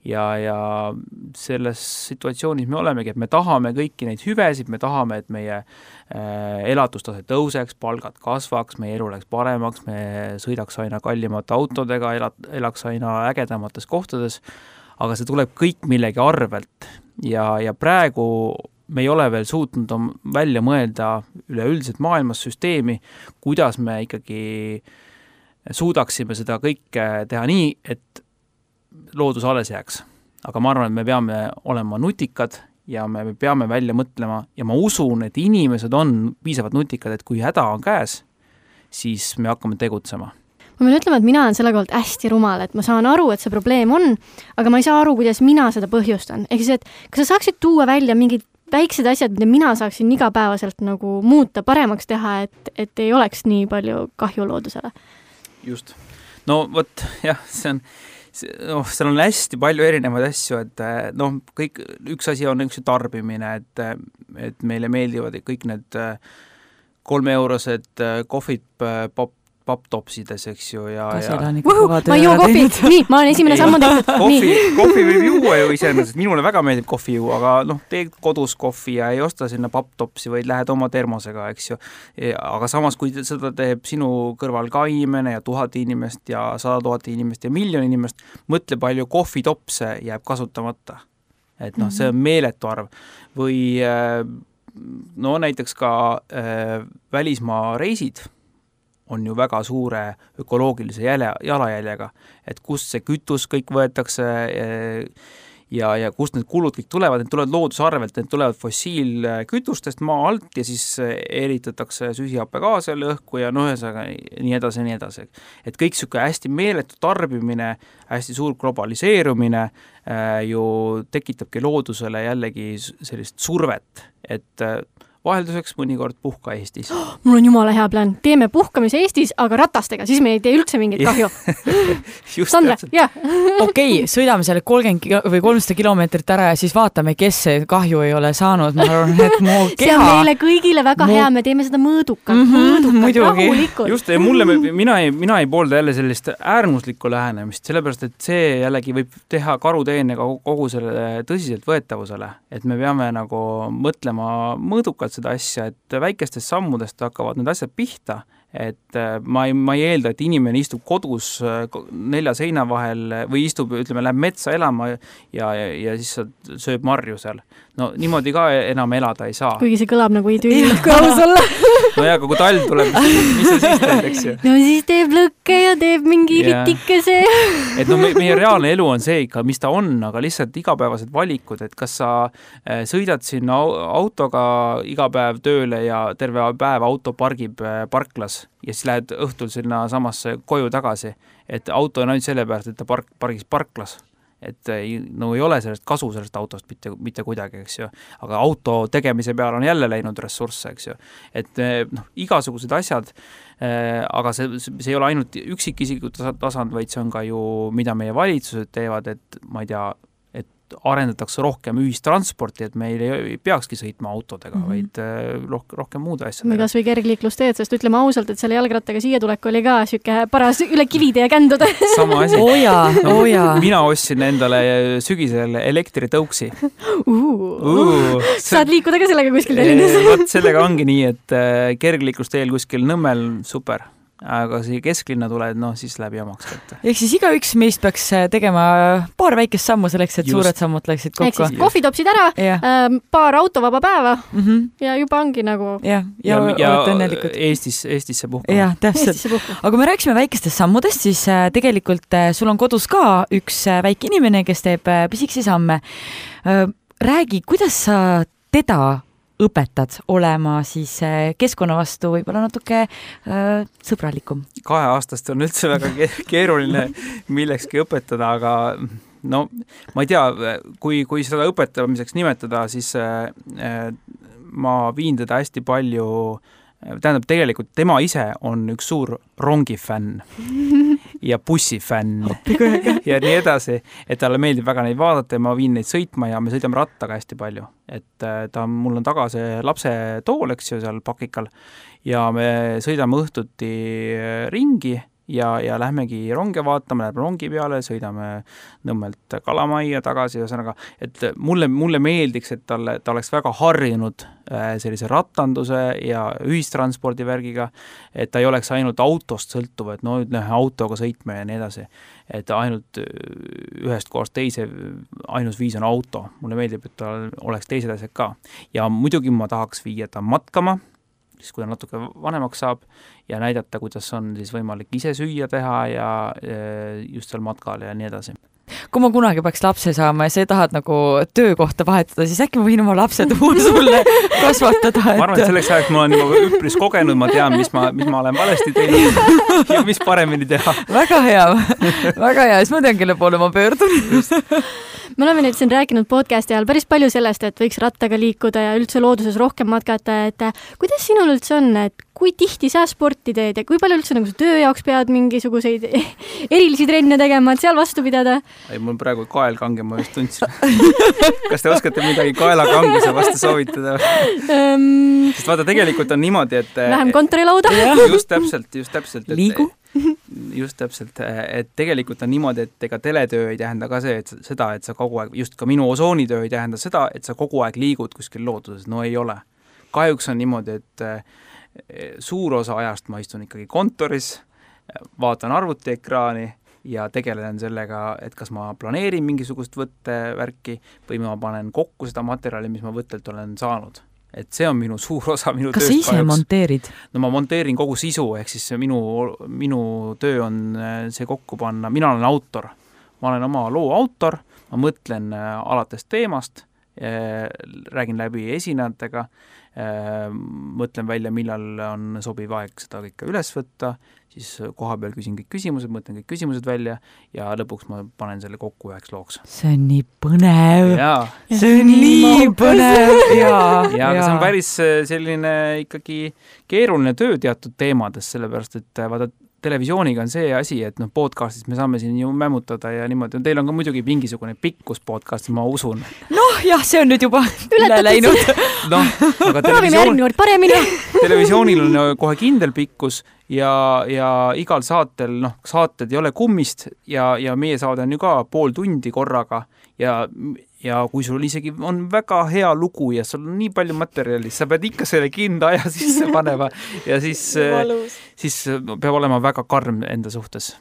ja, ja selles situatsioonis me olemegi, et me tahame kõiki neid hüvesid, me tahame, et meie äh, elatustase tõuseks, palgad kasvaks, meie elu läks paremaks, me sõidaks aina kallimate autodega, elat, elaks aina ägedamates kohtades, aga see tuleb kõik millegi arvelt ja, ja praegu me ei ole veel suutnud välja mõelda üleüldiselt maailmas süsteemi, kuidas me ikkagi suudaksime seda kõike teha nii, et loodus alles jääks. Aga ma arvan, et me peame olema nutikad ja me peame välja mõtlema ja ma usun, et inimesed on piisavalt nutikad, et kui häda on käes, siis me hakkame tegutsema. Ma pean ütlema, et mina olen selle kohalt hästi rumal, et ma saan aru, et see probleem on, aga ma ei saa aru, kuidas mina seda põhjustan. Ehk siis, et kas sa saaksid tuua välja mingid väiksed asjad, mida mina saaksin igapäevaselt nagu muuta, paremaks teha, et, et ei oleks nii palju kahju loodusele? Just. No võt, jah, see on, noh, seal on hästi palju erinevaid asju, et noh, kõik, üks asi on üks tarbimine, et, et meile meeldivad kõik need kolme eurosed kohvid pop, papptopsides, eks ju, ja, ja... Uhu, ma ei joo kohvi, nii, ma olen esimene sammu tehtud. Kohvi, kohvi võib juua ju iseenesest, minule väga meeldib kohvi juua, aga noh, tee kodus kohvi ja ei osta sinna papptopsi, vaid lähed oma termosega, eks ju. Aga samas, kui seda teeb sinu kõrval ka inimene ja tuhat inimest ja sada tuhat inimest ja miljon inimest, mõtle palju kohvitopse jääb kasutamata. Et noh, see on meeletu arv. Või no näiteks ka äh, välismaa reisid on ju väga suure ökoloogilise jäle, jalajäljega, et kust see kütus kõik võetakse ja, ja kust need kulud kõik tulevad, need tulevad loodusarvelt, need tulevad fossiilkütustest maa alt ja siis eritatakse süsihappegaasi õhku ja noh, ühesõnaga nii edasi, nii edasi. Et kõik siuke hästi meeletu tarbimine, hästi suur globaliseerumine äh, ju tekitabki loodusele jällegi sellist survet, et äh, vahelduseks mõnikord puhka Eestis. Oh, mul on jumala hea plaan. Teeme puhkamise Eestis, aga ratastega, siis me ei tee üldse mingit kahju. Sandra, jah. Okei, sõidame selle kolmkümmend või kolmsada kilomeetrit ära ja siis vaatame, kes see kahju ei ole saanud. Ma arvan, et mu keha... See on meile kõigile väga mu... hea, me teeme seda mõõdukalt, mm -hmm, mõõdukalt, rahulikult. Just, ja mulle, mina ei, mina ei poolda jälle sellist äärmuslikku lähenemist, sellepärast, et see jällegi võib teha karuteene kogu selle tõsiselt võetavusele, et me peame nagu mõtlema mõõdukalt seda asja, et väikestest sammudest hakkavad need asjad pihta, et ma ei, ma ei eelda, et inimene istub kodus nelja seina vahel või istub, ütleme, läheb metsa elama ja, ja, ja siis sööb marju seal. No niimoodi ka enam elada ei saa. Kuigi see kõlab nagu idüüllik kaus olla. No jah, aga kui talv tuleb, mis sa siis teed, eks ju? No siis teeb lõkke ja teeb mingi ritikese. Et no meie reaalne elu on see ikka, mis ta on, aga lihtsalt igapäevased valikud, et kas sa sõidad sinna autoga iga päev tööle ja terve päev auto pargib parklas ja siis lähed õhtul sinna samasse koju tagasi, et auto on ainult selle pärast, et ta park, pargis parklas. et ei, no ei ole sellest kasu sellest autost mitte, mitte kuidagi, eks ju. Aga auto tegemise peale on jälle läinud ressursse, eks ju. Et noh, igasugused asjad, aga see, see ei ole ainult üksikisiku tasand, vaid see on ka ju, mida meie valitsused teevad, et ma ei tea, arendatakse rohkem ühistransporti, et meil ei peakski sõitma autodega, mm -hmm. vaid roh- rohkem muude asjadega. või kas või kergliiklusteed, sest ütleme ausalt, et selle jalgrattaga siia tulek oli ka siuke paras üle kivide ja kändude. Sama asi. Oja, no, oja. Mina ostsin endale sügisel elektritõuksi. Uh, uh, saad liikuda ka sellega kuskil Tallinnas? Võt sellega ongi nii, et kergliiklusteel kuskil Nõmmel super. Aga siia kesklinna tuled, noh, siis läbi omaks kätte. Ehk siis igaüks meist peaks tegema paar väikest sammu selleks, et Just. suured sammud läksid kokku. Ehk siis kohvitopsid ära, äh, paar autovaba päeva mm -hmm. ja juba ongi nagu... Ja, ja, ja, ja Eestis, Eestisse puhkama. Ja, täpselt. Aga kui me rääkisime väikestest sammudest, siis tegelikult sul on kodus ka üks väike inimene, kes teeb pisikesi samme. Räägi, kuidas sa teda õpetad olema siis keskkonna vastu võib-olla natuke äh, sõbralikum? Kaheaastast on üldse väga keeruline millekski õpetada, aga no ma ei tea, kui, kui seda õpetamiseks nimetada, siis äh, ma viin teda hästi palju, tähendab tegelikult tema ise on üks suur rongifänn ja bussifänn ja nii edasi, et talle meeldib väga neid vaadata ja ma viin neid sõitma ja me sõidame rattaga hästi palju. Et ta, mul on taga see lapse tool, eks ju, seal pakikal ja me sõidame õhtuti ringi ja, ja lähmegi ronge vaatama, läheb rongi peale, sõidame Nõmmelt Kalamaia tagasi, ühesõnaga, et mulle, mulle meeldiks, et talle, ta oleks väga harjunud sellise rattanduse ja ühistranspordi värgiga, et ta ei oleks ainult autost sõltuv, et no nüüd lähe autoga sõitme ja nii edasi, et ainult ühest kohast teise ainus viis on auto. Mulle meeldib, et ta oleks teised asjad ka. Ja muidugi ma tahaks viia ta matkama, siis kui ta natuke vanemaks saab ja näidata, kuidas on siis võimalik ise süüa teha ja just seal matkal ja nii edasi. Kui ma kunagi peaks lapse saama ja sa tahad nagu töökohta vahetada, siis äkki ma võin oma lapse tuua sulle kasvatada. Et... Ma arvan, et selleks ajaks ma olen juba üpris kogenud, ma tean, mis ma, mis ma olen valesti teinud ja mis paremini teha. Väga hea, väga hea, siis ma tean, kelle poole ma pöördun. Me oleme nüüd siin rääkinud podcasti ajal päris palju sellest, et võiks rattaga liikuda ja üldse looduses rohkem matkata, et kuidas sinul üldse on, et kui tihti sa sporti teed ja kui palju üldse nagu sa töö jaoks pead mingisuguseid erilisi trenne tegema, et seal vastu pidada? Ei, mul praegu kael kange, ma just tundsin. Kas te oskate midagi kaelakanguse vastu soovitada? Um, Sest vaata, tegelikult on niimoodi, et... Lähem kontorilauda. Just täpselt, just täpselt. Et, Liigu. Just täpselt, et tegelikult on niimoodi, et ega teletöö ei tähenda ka see, et seda, et sa kogu aeg, just ka minu osoonitöö ei tähenda seda, et sa kogu aeg liigud kuskil looduses, no ei ole. Kahjuks on niimoodi, et suur osa ajast ma istun ikkagi kontoris, vaatan arvutiekraani ja tegelen sellega, et kas ma planeerin mingisugust võttevärki või ma panen kokku seda materjali, mis ma võttelt olen saanud. Et see on minu suur osa minu kas tööst. Kas sa ise monteerid? No ma monteerin kogu sisu, ehk siis minu, minu töö on see kokku panna. Mina olen autor. Ma olen oma loo autor, ma mõtlen alates teemast, räägin läbi esinejatega, mõtlen välja, millal on sobiv aeg seda kõike üles võtta, siis koha peal küsin kõik küsimused, mõtlen kõik küsimused välja ja lõpuks ma panen selle kokku üheks looks. See on nii põnev. Jaa. See on nii põnev. Jaa, ja, aga see on päris selline ikkagi keeruline töö teatud teemades, sellepärast, et vaata, televisiooniga on see asi, et noh, podcastis me saame siin ju mämmutada ja niimoodi. Teil on ka muidugi mingisugune pikkus podcast, ma usun. Noh, jah, see on nüüd juba üle läinud. No, aga televisioon... televisioonil on kohe kindel pikkus ja, ja igal saatel, noh, saated ei ole kummist ja, ja meie saade on ju ka pool tundi korraga ja ja kui sul isegi on väga hea lugu ja sul on nii palju materjali, sa pead ikka selle kinda aja sisse panema ja siis, siis peab olema väga karm enda suhtes.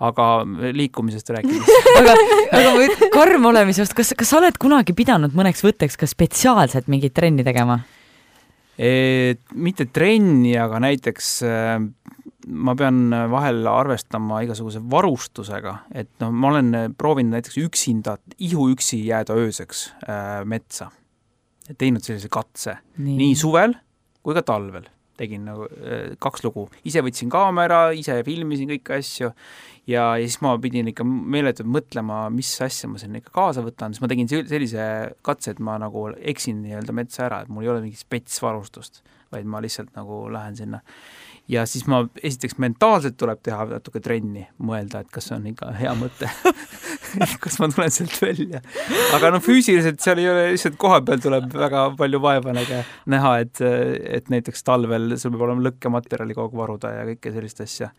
Aga liikumisest rääkides. aga aga karm olemisest, kas, kas sa oled kunagi pidanud mõneks võtteks ka spetsiaalselt mingit trenni tegema? E, mitte trenni, aga näiteks ma pean vahel arvestama igasuguse varustusega, et no, ma olen proovinud näiteks üksinda, ihu üksi jääda ööseks äh, metsa. Teinud sellise katse nii. nii suvel kui ka talvel. tegin nagu kaks lugu. Ise võtsin kaamera, ise filmisin kõiki asju ja, ja siis ma pidin ikka meeletult mõtlema, mis asja ma siin ikka kaasa võtan, siis ma tegin sellise katse, et ma nagu eksin nii-öelda metsa ära, et mul ei ole mingit spetsvarustust, vaid ma lihtsalt nagu lähen sinna. Ja siis ma esiteks mentaalselt tuleb teha natuke trenni, mõelda, et kas see on ikka hea mõte. kas ma tulen sealt välja. Aga no füüsiliselt seal ei ole, lihtsalt koha peal tuleb väga palju vaeva näha, et, et näiteks talvel sul peab olema lõkkematerjali kogu varuda ja kõike sellist asja.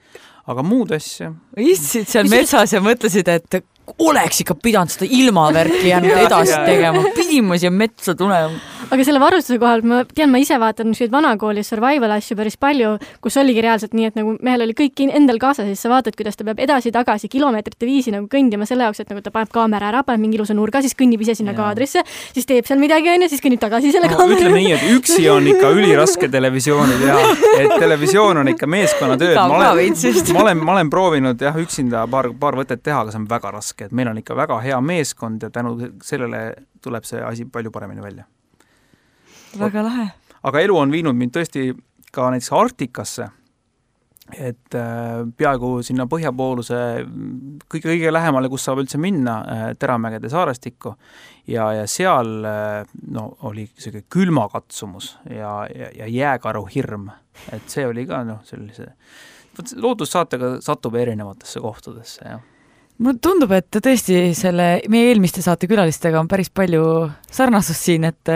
Aga muud asja. Istsid seal metsas ja mõtlesid, et oleks ikka pidanud seda ilmavärki jäänud edasi tegema. Pidime siia metsa tulema. Aga selle varustuse kohal, ma tean, ma ise vaatan nüüd vanakooli survival asju päris palju, kus oligi reaalselt nii, et nagu mehel oli kõik endal kaasa, siis sa vaatad, kuidas ta peab edasi-tagasi kilomeetrite viisi nagu kõndima selle jaoks, et nagu ta paneb kaamera ära, paneb mingi ilusa nurga, siis kõnnib ise sinna ja. Kaadrisse, siis teeb seal midagi, on ja siis kõnnib tagasi selle no, kaamera. Ütleme nii, et üksi on ikka üliraske televisiooni teha, et televisioon on ikka meeskonnatööd. Ma olen, ma olen, ma olen proovinud jah, üksinda paar, paar võtet teha, aga see on väga raske, et meil on ikka väga hea meeskond ja tänu sellele tuleb see asi palju paremini välja. Väga lahe. Aga elu on viinud mind tõesti ka näiteks Arktikasse, et äh, peaaegu sinna põhjapooluse kõige, kõige lähemale, kus saab üldse minna, äh, Teramägede saarestikku ja, ja seal äh, no, oli selline külmakatsumus ja, ja, ja jääkaru hirm, et see oli ka no, sellise loodussaatega satub erinevatesse kohtadesse, jah. Mulle tundub, et tõesti selle meie eelmiste saate külalistega on päris palju sarnasust siin, et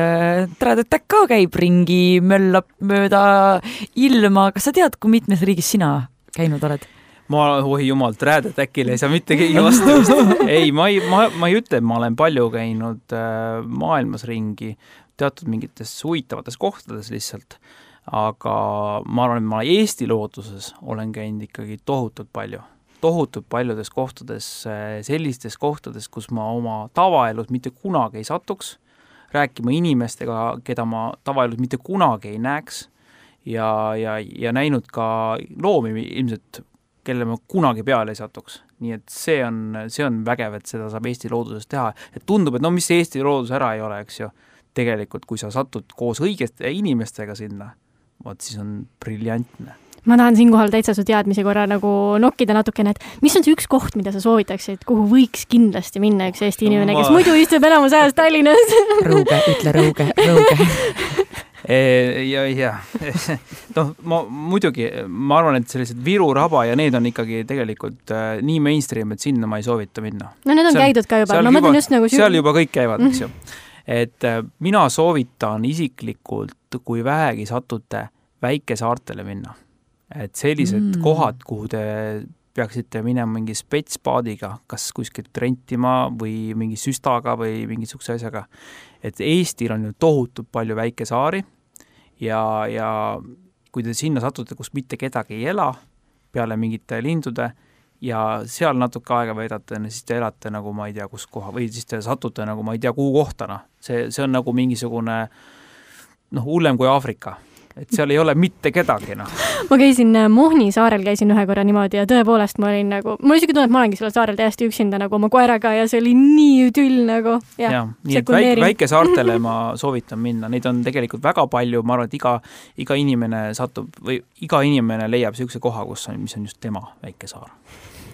Träädetäkk ka käib ringi, möllab mööda ilma. Kas sa tead, kui mitmes riigis sina käinud oled? Ma, oi jumal, Träädetäkile ei saa mitte keegi vastamist. Ei, ma ei, ma, ma ei ütle, et ma olen palju käinud äh, maailmas ringi, teatud mingites huvitavates kohtades lihtsalt, aga ma arvan, et ma Eesti looduses olen käinud ikkagi tohutult palju. tohutult paljudes kohtades, sellistes kohtades, kus ma oma tavaelus mitte kunagi ei satuks, rääkima inimestega, keda ma tavaelus mitte kunagi ei näeks ja, ja, ja näinud ka loomi ilmselt, kelle ma kunagi peale ei satuks. Nii et see on, see on vägev, et seda saab Eesti looduses teha. Et tundub, et no mis Eesti loodus ära ei ole, eks ju. Tegelikult, kui sa satud koos õigeste inimestega sinna, võt siis on briljantne. Ma tahan siinkohal täitsa su teadmisi korra nagu nokkida natukene, et mis on see üks koht, mida sa soovitaksid, kuhu võiks kindlasti minna üks Eesti inimene, kes muidu istub elamus ajas Tallinnas? Rõuge, ütle rõuge, rõuge. ja, ja. No, ma, muidugi, ma arvan, et sellised Viru, Raba ja need on ikkagi tegelikult äh, nii mainstream, et sinna ma ei soovita minna. No need on seal, käidud ka juba. No, juba, just nagu seal juba kõik käivad, eks ju. Et äh, mina soovitan isiklikult, kui vähegi satute väikesaartele minna. Et sellised mm. kohad, kuhu te peaksite minema mingi spetspaadiga, kas kuskilt rentima või mingi süstaga või mingisuguse asjaga. Et Eestil on ju tohutult palju väikesaari ja, ja kui te sinna satute, kus mitte kedagi ei ela peale mingite lindude ja seal natuke aega veedate, siis te elate nagu ma ei tea kus koha või siis te satute nagu ma ei tea kuhu kohtana. See, see on nagu mingisugune noh, hullem kui Aafrika. Et seal ei ole mitte kedagi, noh. Ma käisin Mohni saarel, käisin ühe korra niimoodi ja tõepoolest ma olin nagu, ma isegi tunnen, et ma olengi sellel saarel täiesti üksinda nagu oma koeraga ja see oli nii tüll nagu. Ja, ja nii et väike, väike saartele ma soovitan minna, neid on tegelikult väga palju, ma arvan, et iga, iga inimene satub või iga inimene leiab sellise koha, kus on, mis on just tema väike saar.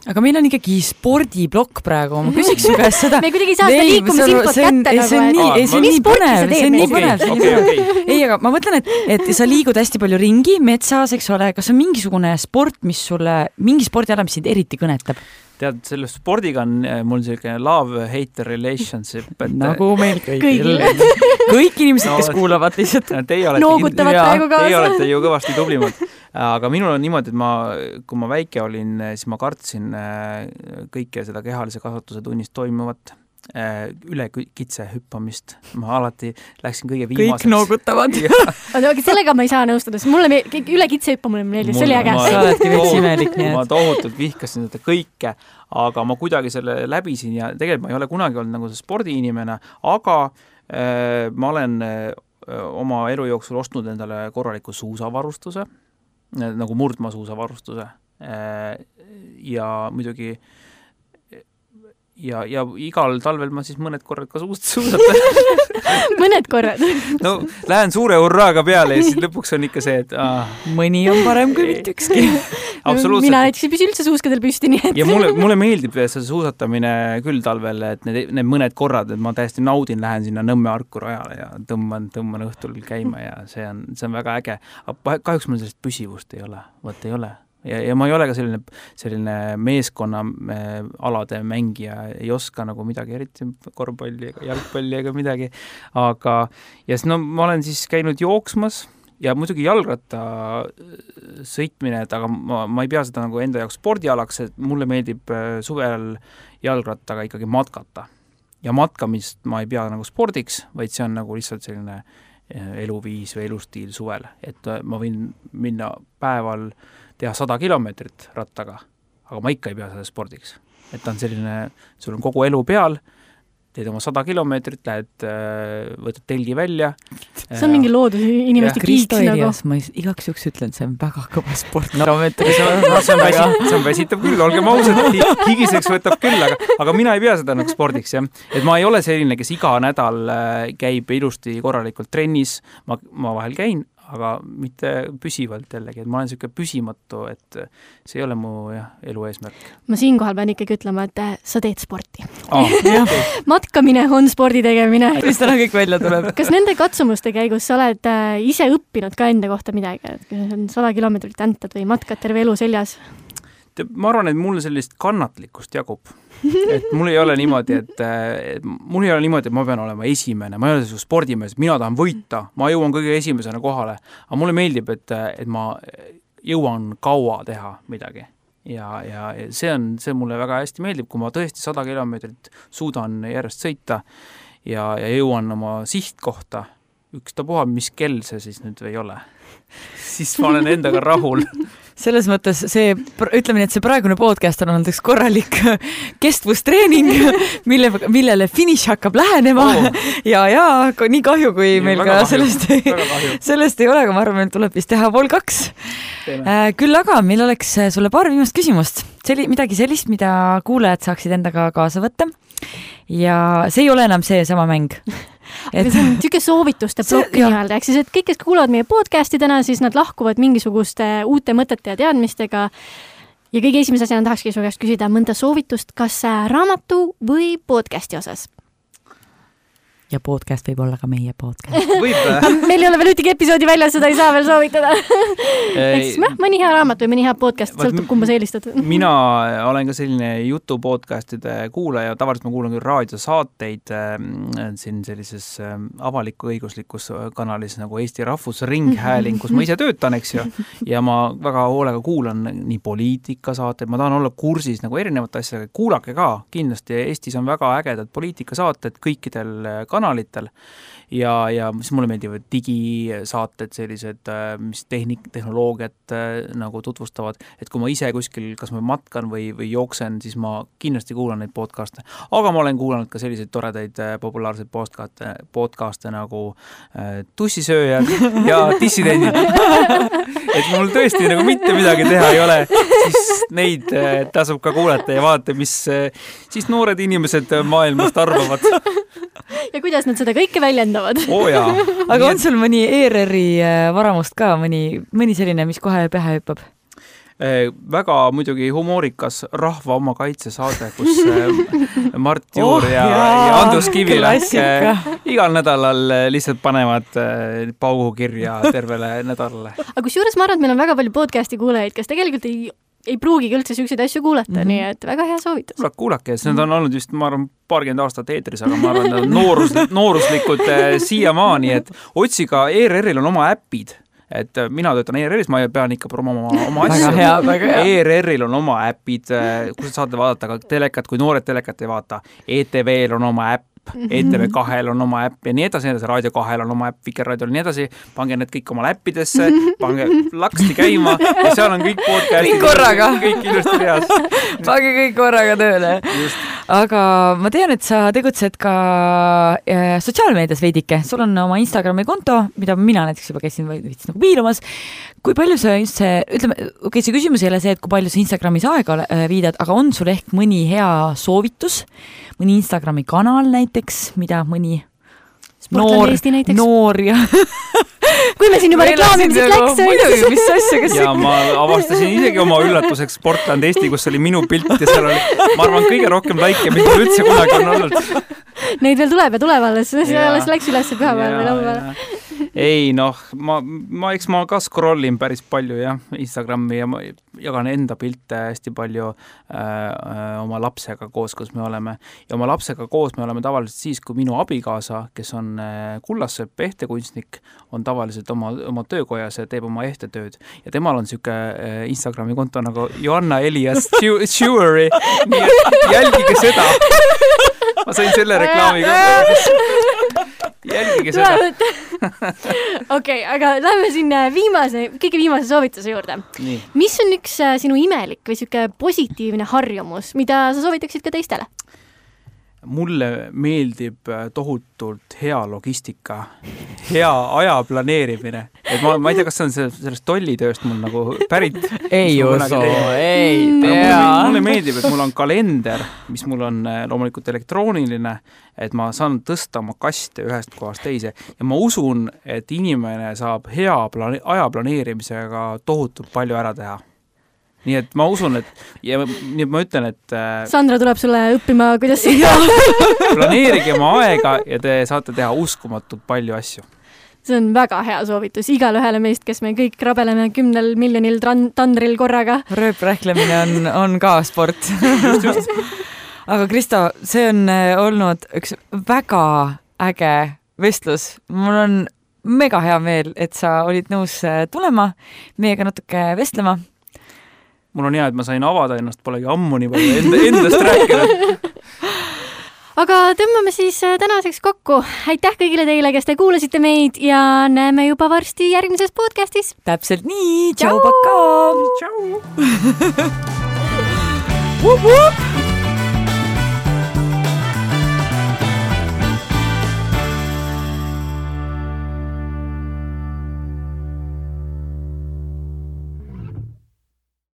Aga meil on ikkagi spordiblokk praegu, ma küsiks su käest seda. Me kuidagi saa seda liikumisinfot kätte nagu. See on nii, ei, see on nii põnev, see on nii põnev. Okay, okay. Ei, aga ma mõtlen, et, et sa liigud hästi palju ringi, metsas, eks ole, kas on mingisugune sport, mis sulle, mingi spordiala, mis sind eriti kõnetab? Tead, selle spordiga on mul selline love-hate relationship. Et nagu meil kõigil. Kõik inimesed, no, kes kuulavad lihtsalt. Teie olete, noogutavad praegu kaasa. Teie olete ju kõvasti tublimad. Aga minul on niimoodi, et ma, kui ma väike olin, siis ma kartsin kõike seda kehalise kasvatuse tunnist toimuvat, üle kitse hüppamist. Ma alati läksin kõige viimaseks. Kõik noogutavad. Aga sellega ma ei saa nõustuda, sest mulle üle kitse hüppa mulle meeldis, see oli äge. Sa oledki veits imelik, nii et. Ma tohutult vihkasin seda kõike, aga ma kuidagi selle läbisin ja tegelikult ma ei ole kunagi olnud nagu see spordiinimene, aga äh, ma olen äh, oma elu jooksul ostnud endale korraliku suusavarustuse, nagu murdmaa suusavarustuse äh, ja muidugi ja, ja igal talvel ma siis mõned korrad ka suust suusatan. mõned korrad? No lähen suure hurraaga peale ja siis lõpuks on ikka see, et ah. mõni on parem kui mitte ükski. Absoluutselt. Mina näiteks ei püsi üldse suuskadel püsti, nii et... Ja mulle, mulle meeldib see suusatamine küll talvel, et need, need mõned korrad, et ma täiesti naudin, lähen sinna Nõmme Arku rajale ja tõmban, tõmban õhtul käima ja see on, see on väga äge. Kahjuks mul sellist püsivust ei ole. Võt ei ole. Ja, ja ma ei ole ka selline, selline meeskonna alade mängija, ei oska nagu midagi, eriti korvpalli ega jalgpalli ega midagi, aga ja siis no ma olen siis käinud jooksmas ja muidugi jalgratta sõitmine, et aga ma, ma ei pea seda nagu enda jaoks spordialaks, et mulle meeldib suvel jalgrattaga ikkagi matkata. Ja matkamist ma ei pea nagu spordiks, vaid see on nagu lihtsalt selline eluviis või elustiil suvel, et ma võin minna päeval teha sada kilomeetrit rattaga, aga ma ikka ei pea seda spordiks. Et ta on selline, sul on kogu elu peal, teed oma sada kilomeetrit, lähed, võtad telgi välja. See on mingi loodus inimeste kiiks nagu. Ma igaks juks ütlen, see on väga kõva sport. No, see, on, see, on väsit, see on väsitab küll, olgem ausad, higiseks võtab küll, aga, aga mina ei pea seda nagu spordiks. Jah. Et ma ei ole selline, kes iga nädal käib ilusti korralikult trennis, ma, ma vahel käin, aga mitte püsivalt jällegi, et ma olen selline püsimatu, et see ei ole mu jah, elu eesmärk. Ma siinkohal pean ikkagi ütlema, et sa teed sporti. Ah, matkamine on spordi tegemine. Mis täna kõik välja tuleb? Kas nende katsumuste käigus sa oled ise õppinud ka enda kohta midagi, et on sada kilomeetrit äntad või matkad terve elu seljas? Ma arvan, et mulle sellist kannatlikkust jagub. Et mul ei ole niimoodi, et, et mul ei ole niimoodi, et ma pean olema esimene, ma ei ole selline spordimees, mina tahan võita, ma jõuan kõige esimesena kohale, aga mulle meeldib, et, et ma jõuan kaua teha midagi ja, ja see on, see mulle väga hästi meeldib, kui ma tõesti sada kilomeetrit suudan järjest sõita ja, ja jõuan oma sihtkohta, ükstapuha, mis kell see siis nüüd ei ole, siis ma olen endaga rahul. Selles mõttes see, ütleme nii, et see praegune podcast on olnud üks korralik kestvustreening, mille, millele finiš hakkab lähenema oh. ja, ja nii kahju, kui ja, meil ka kahju. Sellest, ei, sellest ei ole, aga ma arvan, meil tuleb vist teha pool kaks. Äh, küll aga meil oleks sulle paar viimast küsimust. Seli, midagi sellist, mida kuulajad saaksid endaga kaasa võtta ja see ei ole enam see sama mäng. Et... see on tüke soovituste plokk nii-öelda, ehk siis, et kõik, kes kuulavad meie podcasti täna, siis nad lahkuvad mingisuguste uute mõtete ja teadmistega ja kõige esimese asjana tahakski su käest küsida mõnda soovitust, kas raamatu või podcasti osas? Ja podcast võib olla ka meie podcast. Võib. Meil ei ole veel ühtegi episoodi väljas, seda ei saa veel soovitada. Ehk siis mõni hea raamat või mõni hea podcast, sõltub kumba sa eelistad. Mina olen ka selline jutu podcastide kuulaja, tavaliselt ma kuulan küll raadiosaateid äh, siin sellises äh, avaliku õiguslikus kanalis nagu Eesti Rahvusringhääling, kus ma ise töötan, eks ju, ja ma väga hoolega kuulan nii poliitikasaateid, ma tahan olla kursis nagu erinevate asjadega, kuulake ka, kindlasti Eestis on väga ägedad poliitikasaated kõikidel kanalitel ja, ja mis mulle meeldivad digisaated, sellised, mis tehnik, tehnoloogiat nagu tutvustavad, et kui ma ise kuskil, kas ma matkan või, või jooksen, siis ma kindlasti kuulan neid podcaste. Aga ma olen kuulanud ka selliseid toredaid populaarseid podcaste, podcaste nagu äh, Tussisööjad ja Dissidendid. Et mul tõesti nagu mitte midagi teha ei ole, siis neid äh, tasub ka kuulata ja vaadata, mis äh, siis noored inimesed maailmast arvavad. Ja kuidas nad seda kõike väljendavad? Oh, jaa. Aga on sul mõni E R R-i varamust ka, mõni, mõni selline, mis kohe pähe hüppab? Väga muidugi humoorikas Rahva oma kaitsesaade, kus Mart Juur oh, ja, ja Andrus Kivilak igal nädalal lihtsalt panevad paugu kirja tervele nädalale. Aga kusjuures ma arvan, et meil on väga palju podcasti kuulajaid, kes tegelikult ei ei pruugigi üldse selliseid asju kuulata, mm-hmm. nii et väga hea soovitus. Kuulake, kuulake, need on olnud just, ma arvan, paarkümmend aastat eetris, aga ma arvan, et on noorus, nooruslikud äh, siiamaani, et otsiga E R R-il on oma äpid, et mina töötan E R R-is, ma pean ikka promoma oma asju. Väga hea, väga hea. E R R-il on oma äpid, kus saate vaadata ka telekat, kui noored telekat ei vaata. E T V-l on oma äpp, E T V kahel on oma äpp ja nii edasi, nii edasi, Raadio kahel on oma äpp, Vikerraadiol nii edasi, pange need kõik oma äppidesse, pange laksti käima ja seal on kõik podcastid. Kõik korraga. Kõik ilusti reas. Pange kõik korraga tööle. aga ma tean, et sa tegutsed ka sotsiaalmeedias veidike. Sul on oma Instagrami konto, mida mina näiteks juba käisin või võitsin nagu piilumas. Kui palju sa just see, ütleme, okei, see küsimus ei ole see, et kui palju sa Instagramis aega viidad, aga on sul ehk mõni hea soovitus, mõni Instagrami kanal näiteks, mida mõni noor, noor ja kui me siin juba reklaamimisest läks. Muidugi, mis asja, kas ja ma avastasin isegi oma üllatuseks Sportland Eesti, kus oli minu pilt ja seal oli, ma arvan, kõige rohkem laike, mis mul üldse kunagi on olnud. Neid veel tuleb ja tuleb alles, see alles läks üles pühapäeval või laupäeval. Ei, noh, ma, ma, eks ma ka scrollin päris palju, jah, Instagrami ja ma jagan enda pilte hästi palju äh, oma lapsega koos, kus me oleme. Ja oma lapsega koos me oleme tavaliselt siis, kui minu abikaasa, kes on äh, Kullassepp ehtekunstnik, on tavaliselt oma, oma töökojas ja teeb oma ehtetööd. Ja temal on siuke äh, Instagrami konto nagu Joanna Elias Jewelry, nii et jälgige seda. Ma sain selle reklaami ka. Jälgige seda. Okei, aga lähme sinna viimase, kõige viimase soovituse juurde. Nii. Mis on üks sinu imelik või siuke positiivne harjumus, mida sa soovitaksid ka teistele? Mulle meeldib tohutult hea logistika, hea aja planeerimine. Et ma, ma ei tea, kas see on sellest tollitööst mul nagu pärit. Ei usu, ei tea. Mulle, mulle meeldib, et mul on kalender, mis mul on loomulikult elektrooniline, et ma saan tõsta oma kaste ühest kohast teise. Ja ma usun, et inimene saab hea plane- aja planeerimisega tohutult palju ära teha. Nii et ma usun, et ja nii et ma ütlen, et Sandra tuleb sulle õppima, kuidas planeerige oma aega ja te saate teha uskumatult palju asju. See on väga hea soovitus igale ühele meist, kes me kõik rabeleme kümnel miljonil tandril korraga. Rööprähklemine on, on ka sport. Just, just. Aga Kristo, see on olnud üks väga äge vestlus. Mul on mega hea meel, et sa olid nõus tulema meiega natuke vestlema. Mul on hea, et ma sain avada ennast, polegi ammu nii palju enda, endast rääkida. Aga tõmbame siis tänaseks kokku. Aitäh kõigile teile, kes te kuulasite meid ja näeme juba varsti järgmises podcastis. Täpselt nii. Tšau, paka! Tšau! Wup, wup!